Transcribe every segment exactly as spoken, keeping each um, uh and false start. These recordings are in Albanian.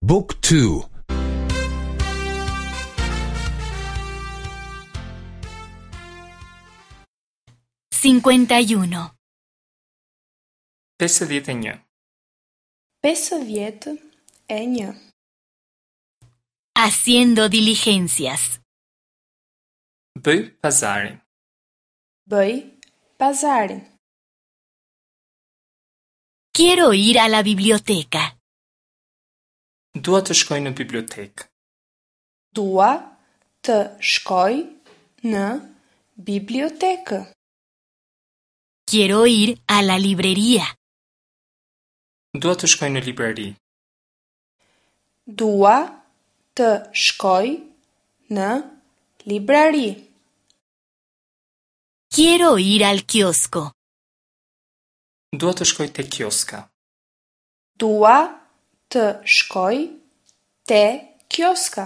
Book two. Cincuenta y uno. Pesëdhjetë e një. Pesëdhjetë e një. Haciendo diligencias. Bëj pazarin. Bëj pazarin. Quiero ir a la biblioteca. Dua të shkoj në bibliotekë. Dua të shkoj në bibliotekë. Quiero ir a la librería. Dua të shkoj në librari. Dua të shkoj në librari. Quiero ir al kiosco. Dua të shkoj te kioska. Dua të shkoj te kioska.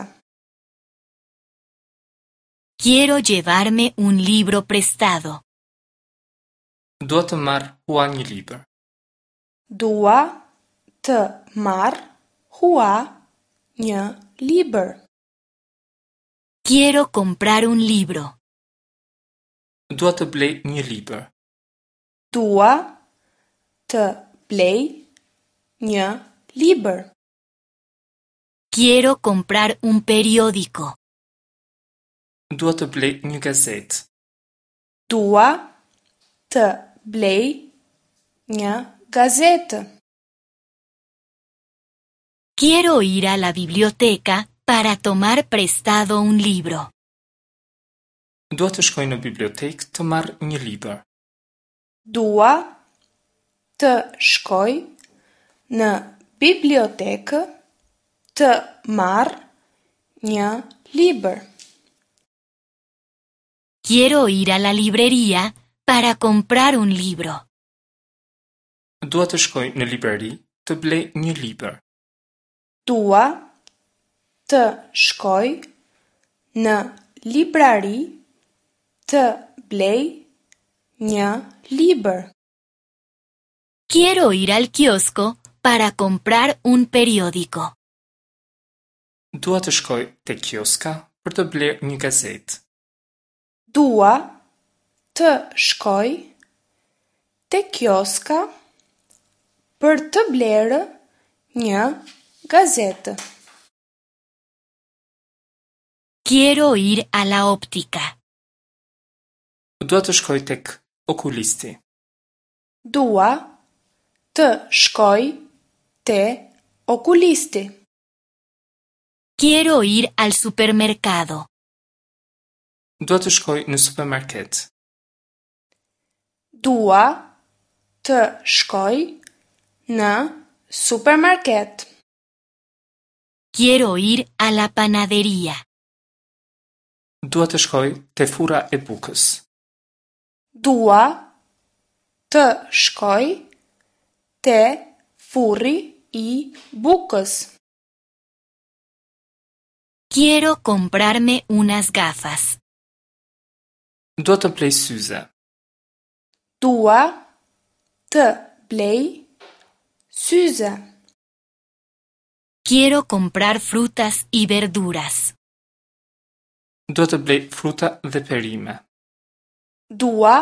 Quiero llevarme un libro prestado. Dua të marr hua një libër. Dua të marr hua një libër. Quiero comprar un libro. Dua të blej një libër. Dua të blej një libër. Quiero comprar un periódico. Dua të blej një gazetë. Dua të blej një gazetë. Quiero ir a la biblioteca para tomar prestado un libro. Dua të shkoj në bibliotekë të marr një libër. Dua të shkoj në bibliotekë të marr një libër. Quiero ir a la librería para comprar un libro. Dua të shkoj në librari të blej një libër. Dua të shkoj në librari të blej një libër. Quiero ir al kiosco para comprar un periódico. Dua të shkoj te kioska për të blerë një gazetë. Dua të shkoj te kioska për të blerë një gazetë. Quiero ir a la óptica. Dua të shkoj tek okulisti. Dua të shkoj te okulisti. Quiero ir al supermercado. Dua të shkoj në supermarket. Dua të shkoj në supermarket. Quiero ir a la panadería. Dua të shkoj te furra e bukës. Dua të shkoj te furri i bukës. Quiero comprarme unas gafas. Dua të blej syze. Dua të blej syze. Quiero comprar frutas y verduras. Dua të blej fruta dhe perime. Dua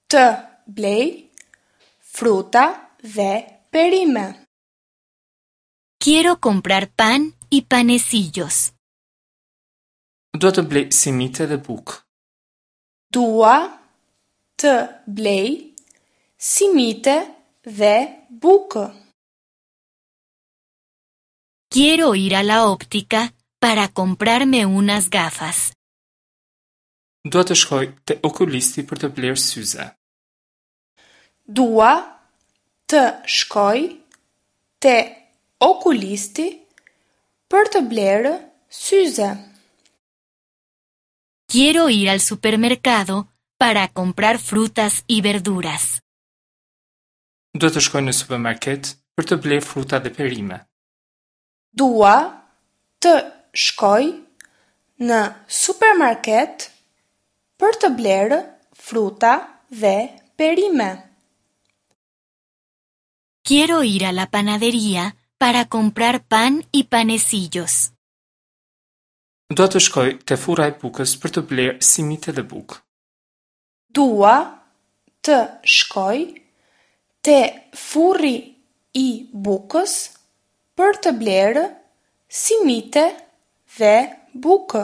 të blej fruta dhe perime. Quiero comprar pan y panecillos. Dua të blej simite dhe bukë. Dua të blej simite dhe bukë. Quiero ir a la óptica para comprarme unas gafas. Dua të shkoj te okulisti për të blerë syze. Dua të shkoj te okulisti për të blerë syze. Quiero ir al supermercado para comprar frutas y verduras. Dua të shkoj në supermarket për të blerë fruta dhe perime. Dua të shkoj në supermarket për të blerë fruta dhe perime. Quiero ir a la panadería para comprar pan y panecillos. Dua të shkoj te furra e bukës për të blerë simite dhe bukë. Dua të shkoj te furri i bukës për të blerë simite dhe bukë.